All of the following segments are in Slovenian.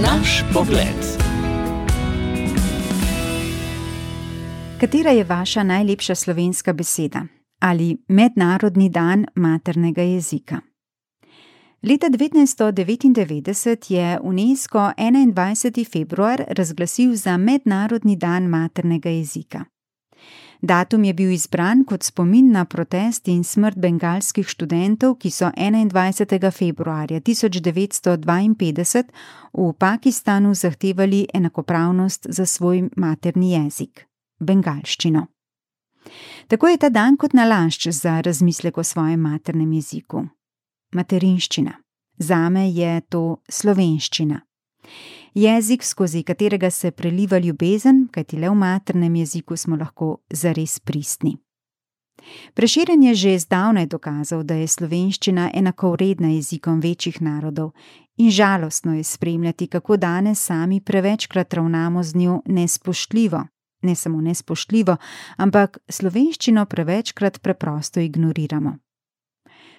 Naš pogled. Katera je vaša najlepša slovenska beseda ali mednarodni dan maternega jezika? Leta 1999 je UNESCO 21. februar razglasil za mednarodni dan maternega jezika. Datum je bil izbran kot spomin na protest in smrt bengalskih študentov, ki so 21. februarja 1952 v Pakistanu zahtevali enakopravnost za svoj materni jezik, bengalščino. Tako je ta dan kot nalašč za razmislek o svojem maternem jeziku. Materinščina. Zame je to slovenščina. Jezik, skozi katerega se preliva ljubezen, kajti le v maternem jeziku smo lahko zares pristni. Prešeren je že zdavnaj dokazal, da je slovenščina enakovredna jezikom večjih narodov in žalostno je spremljati, kako danes sami prevečkrat ravnamo z njo nespoštljivo. Ne samo nespoštljivo, ampak slovenščino prevečkrat preprosto ignoriramo.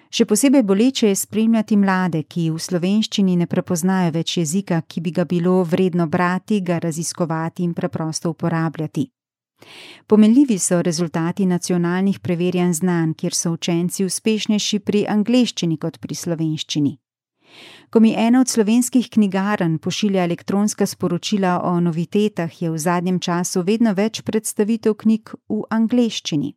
Še posebej boleče je spremljati mlade, ki v slovenščini ne prepoznajo več jezika, ki bi ga bilo vredno brati, ga raziskovati in preprosto uporabljati. Pomenljivi so rezultati nacionalnih preverjanj znanj, kjer so učenci uspešnejši pri angleščini kot pri slovenščini. Ko mi ena od slovenskih knjigarn pošilja elektronska sporočila o novitetah, je v zadnjem času vedno več predstavitev knjig v angleščini.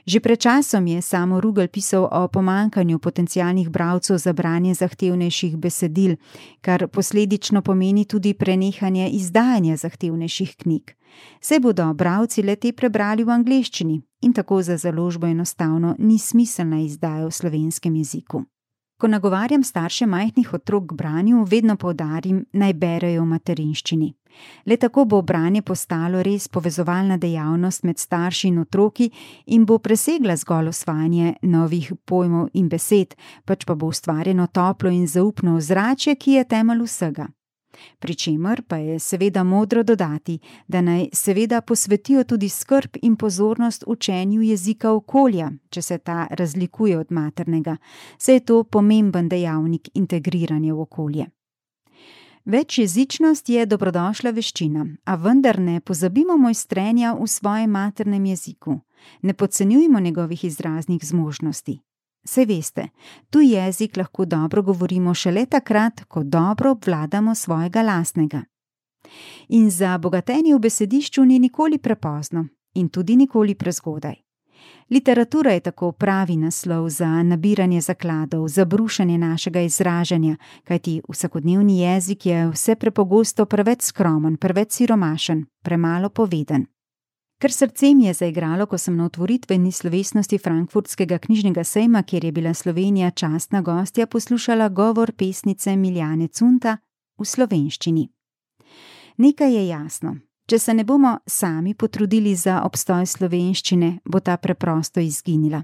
Že pred časom je Samo Rugel pisal o pomanjkanju potencialnih bralcev za branje zahtevnejših besedil, kar posledično pomeni tudi prenehanje izdajanja zahtevnejših knjig. Saj bodo bralci le-te prebrali v angleščini in tako za založbo enostavno ni smiselna izdaja v slovenskem jeziku. Ko nagovarjam starše majhnih otrok k branju, vedno poudarim, naj berejo v materinščini. Le tako bo branje postalo res povezovalna dejavnost med starši in otroki in bo presegla zgolj osvajanje novih pojmov in besed, pač pa bo ustvarjeno toplo in zaupno ozračje, ki je temelj vsega. Pričemer pa je seveda modro dodati, da naj seveda posvetijo tudi skrb in pozornost učenju jezika okolja, če se ta razlikuje od maternega, saj je to pomemben dejavnik integriranja v okolje. Večjezičnost je dobrodošla veščina, a vendar ne pozabimo mojstrenja v svojem maternem jeziku. Ne podcenjujmo njegovih izraznih zmožnosti. Saj veste, tuj jezik lahko dobro govorimo šele takrat, ko dobro obvladamo svojega lastnega. In za bogatenje v besedišču ni nikoli prepozno in tudi nikoli prezgodaj. Literatura je tako pravi naslov za nabiranje zakladov, za brušenje našega izražanja, kajti vsakodnevni jezik je vse prepogosto preveč skromen, preveč siromašen, premalo poveden. Ker srce mi je zaigralo, ko sem na otvoritveni slovesnosti Frankfurtskega knjižnega sejma, kjer je bila Slovenija častna gostja, poslušala govor pesnice Miljane Cunta v slovenščini. Nekaj je jasno. Če se ne bomo sami potrudili za obstoj slovenščine, bo ta preprosto izginila.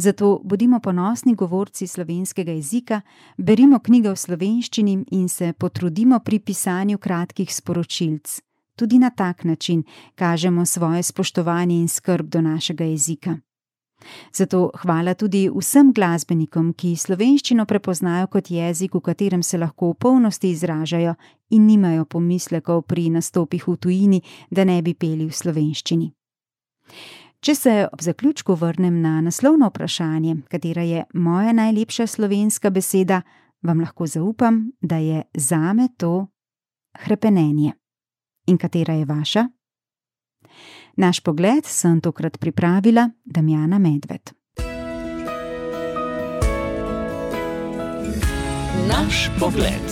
Zato bodimo ponosni govorci slovenskega jezika, berimo knjige v slovenščini in se potrudimo pri pisanju kratkih sporočilc. Tudi na tak način kažemo svoje spoštovanje in skrb do našega jezika. Zato hvala tudi vsem glasbenikom, ki slovenščino prepoznajo kot jezik, v katerem se lahko v polnosti izražajo in nimajo pomislekov pri nastopih v tujini, da ne bi peli v slovenščini. Če se ob zaključku vrnem na naslovno vprašanje, katera je moja najlepša slovenska beseda, vam lahko zaupam, da je zame to hrepenenje. In katera je vaša? Naš pogled sem tokrat pripravila Damjana Medved. Naš pogled.